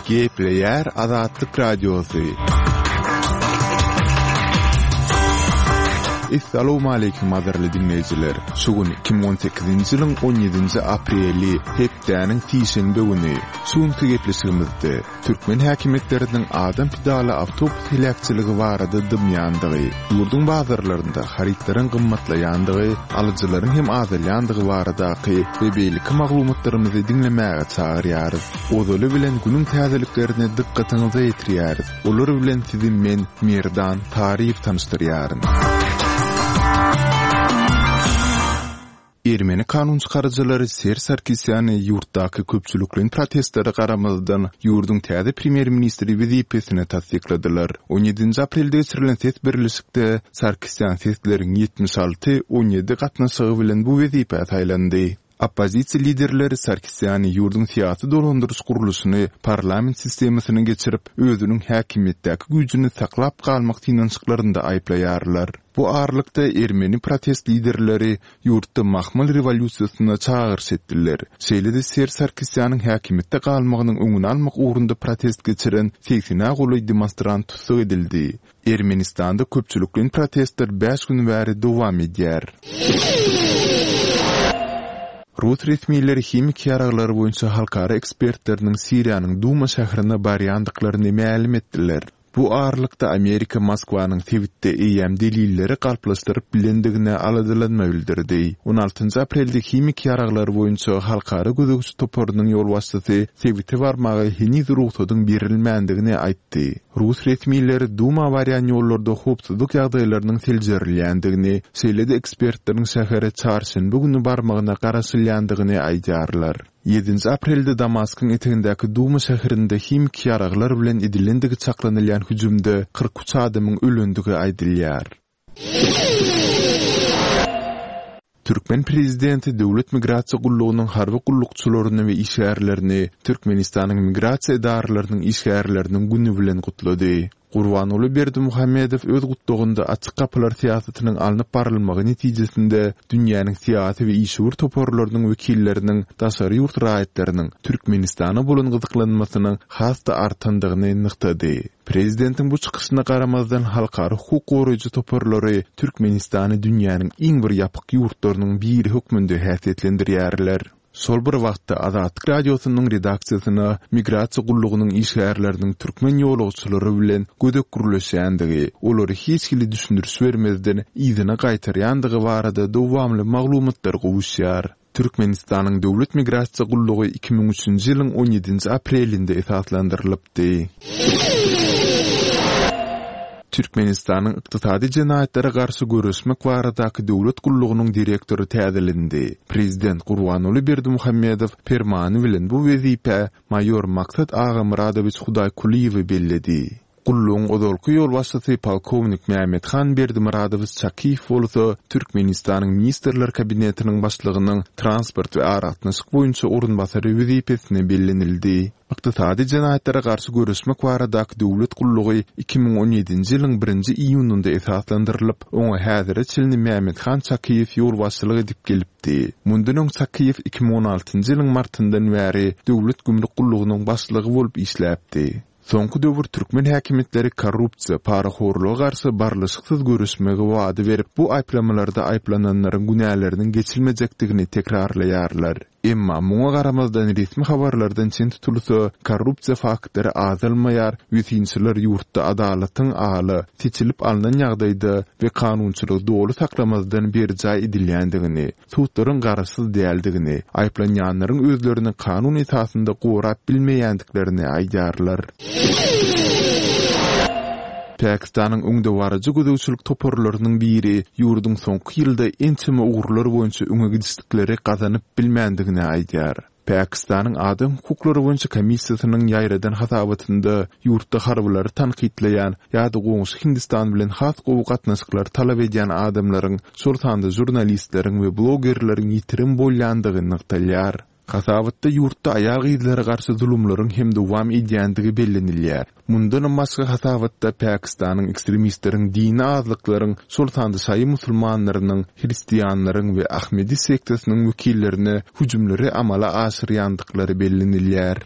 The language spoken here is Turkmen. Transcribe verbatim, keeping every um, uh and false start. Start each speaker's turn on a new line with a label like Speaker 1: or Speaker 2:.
Speaker 1: Gepleýär Azatlyk Radiosy. Essalawmaleýkim gadyrly diňleýjiler! Şu gün iki müň on sekizinji ýylyň on ýedinji apreli, hepdäniň sişenbe güni. Şu günki gepleşigimizde türkmen häkimiýetleriniň adam pidaly awtobus heläkçiligi barada dymýandygy, ýurduň bazarlarynda harytlaryň gymmatlaýandygy, alyjylaryň hem azalýandygy baradaky we beýleki maglumatlarymyzy diňlemäge çagyrýarys. Ozaly bilen günüň täzeliklerini dykgatyňyza ýetirýäris. Olar bilen sizi men, Merdan Taryýew tanyşdyrýaryn. Ermeni kanun çykaryjylary Serž Sarkisýany ýurtdaky köpçülikleýin protestlere garamazdan, ýurduň täze premýer-ministri wezipesine tassykladylar. On ýedinji aprelde geçirilen ses berlişikde Sarkisýan sesleriň ýetmiş alty, on ýedi gatnaşygy bilen bu wezipä saýlandy. Oppozisiýa liderleri Sarkisýany ýurduň syýasy dolandyryş gurluşyny parlament sistemasyna geçirip, özüniň häkimiýetdäki güýjüni saklap galmak synanyşyklarynda aýyplaýarlar. Bu aralykda ermeni protest liderleri ýurtda mahmal rewolýusiýasyna çagyryş etdiler. Şeýle-de Serž Sarkisýanyň häkimiýetde galmagynyň öňüni almak ugrunda protest geçiren segsene golaý demonstrant tussag edildi. Ermenistanda köpçülikleýin protestler bäş gün bäri dowam edýär. Rus resmileri himiki ýaraglar boýunça halkara ekspertleriniň Siriýanyň Duma şäherine barýandyklaryny mälim etdiler. Bu aralykda Amerika Moskwanyň sebitde eýýäm delilleri galplaşdyryp bilendigine aladalanma bildirdi. On altynjy aprelde himiki ýaraglar boýunça halkara gözegçi toparynyň ýolbaşçysy sebite barmaga heniz rugsadyň berilmändigini aýtdy. Rus resmileri Duma barýan ýollarda howpsuzlyk ýagdaýlarynyň seljerilýändigini, şeýle-de ekspertleriň şähere çarşenbe güni barmagyna garaşylýandygyny aýdýarlar. Ýedinji aprelde Damaskyň etegindäki Duma şäherinde himiki ýaraglar bilen edilendigi çaklanylýan hüjümde kyrk üç adamyň ölendigi aýdylýar. Türkmen prezidenti Döwlet migrasiýa gullugynyň harby gullukçylaryny we işgärlerini Türkmenistanyň migrasiýa edaralarynyň işgärleriniň güni bilen gutlady. Gurbanguly Berdimuhamedow öz gutlagynda açyk gapylar syýasatynyň alnyp barylmagy netijesinde dünýäniň syýasy we işewür toparlarynyň wekilleriniň daşary ýurt raýatlarynyň Türkmenistana bolan gyzyklanmasynyň has-da artandygyny nygtady. Prezidentiň bu çykyşyna garamazdan halkara hukuk goraýjy toparlary Türkmenistany dünýäniň iň bir ýapyk ýurtlarynyň biri hökmünde häsiýetlendirýärler. Şol bir wagtda Azatlyk Radiosynyň redaksiýasyna migrasiýa gullugynyň işgärleriniň türkmen ýolagçylary bilen gödek gürleşýändigi, olary hiç hili düşündiriş bermezden yzyna gaýtarýandygy barada dowamly maglumatlar gowuşýar. Türkmenistanyň Döwlet migrasiýa gullugy iki müň üçünji ýylyň on ýedinji aprelinde esaslandyrylypdy. Türkmenistanyň ykdysady jenaýatlara garşy göreşmek baradaky döwlet gullugynyň direktory täzelendi. Prezident Gurbanguly Berdimuhamedow permany bilen bu wezipä maýor Maksat Agamyradowiç Hudaýkulyýewi belledi. Gullugyň ozalky ýolbaşçysy polkownik Mämmethan Berdimyradowiç Çakyýew bolsa Türkmenistanyň Ministrler Kabinetiniň başlygynyň transport we aragatnaşyk boýunça orunbasary wezipesine bellenildi. Ykdysady jenaýatlara garşy göreşmek baradaky döwlet gullugy iki müň on ýedinji ýylyň birinji iýunynda esaslandyrylyp, oňa häzire çenli Mämmethan Çakyýew ýolbaşçylyk edip gelipdi. Mundan öň Çakyýew iki müň on altynjy ýylyň martyndan bäri Döwlet gümrük gullugynyň başlygy bolup işläpdi. Soňky döwür türkmen häkimiýetleri korrupsiýa, parahorluga garşy barlyşyksyz göreşmegi wada berip, bu aýyplamalarda aýyplananlaryň günäleriniň geçilmejekdigini tekrarlaýarlar. Emma muňa garamazdan resmi habarlardan çen tutulsa, korrupsiýa faktlary azalmaýar we synçylar ýurtda adalatyň ala, seçilip alnan ýagdaýda we kanunçylygy doly saklamazdan berjaý edilýändigini, sudlaryň garaşsyz däldigini, aýyplanýanlaryň özlerini kanun esasynda gorap bilmeýändiklerini aýdýarlar. Pakistanyň öňdebaryjy gözegçilik toparlarynyň biri ýurduň soňky ýylda ençeme ugurlar boýunça öňe gidişlikleri gazanyp bilmändigini aýdýar. Pakistanyň Adam hukuklary boýunça komissiýasynyň ýaýradan hasabatynda ýurtda harbylary tankytlaýan ýa-da goňşy Hindistan bilen has gowy gatnaşyklary talap edýän adamlaryň, şol sanda žurnalistleriň we blogerleriň ýitirim bolýandygy nygtalýar. Hasabatda ýurtda aýal-gyzlara garşy zulumlaryň hem dowam edýändigi bellenilýär. Mundanam başga hasabatda Pakistanyň ekstremistleriň dini azlyklaryň, şol sanda şaýy musulmanlarynyň, hristianlaryň we Ahmedi sektasynyň wekillerine hüjümleri amala aşyrýandyklary bellenilýär.